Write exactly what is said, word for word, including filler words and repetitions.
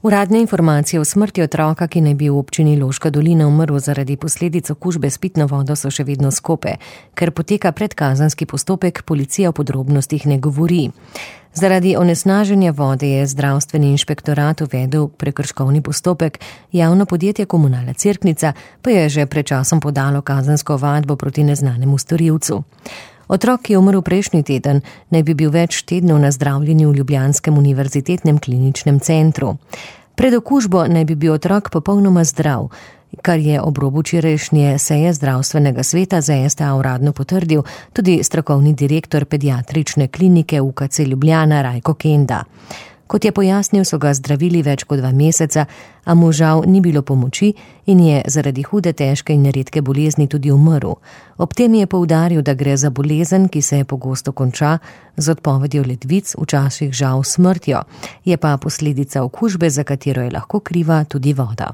Uradne informacije o smrti otroka, ki naj bi v občini Loška dolina umrl zaradi posledic okužbe s pitno vodo, so še vedno skope. Ker poteka predkazenski postopek, policija o podrobnostih ne govori. Zaradi onesnaženja vode je zdravstveni inšpektorat uvedel prekrškovni postopek, javno podjetje Komunalna Cerknica pa je že pred časom podalo kazensko ovadbo proti neznanemu storilcu. Otrok, ki je umrl prejšnji teden, naj bi bil več tednov na zdravljenju v ljubljanskem univerzitetnem kliničnem centru. Pred okužbo naj bi bil otrok popolnoma zdrav, kar je ob robu včerajšnje seje zdravstvenega sveta za S T A uradno potrdil tudi strokovni direktor pediatrične klinike U K C Ljubljana Rajko Kenda. Kot je pojasnil, so ga zdravili več kot dva meseca, a mu žal ni bilo pomoči in je zaradi hude, težke in redke bolezni tudi umrl. Ob tem je poudaril, da gre za bolezen, ki se je pogosto konča z odpovedjo ledvic, včasih žal smrtjo. Je pa posledica okužbe, za katero je lahko kriva tudi voda.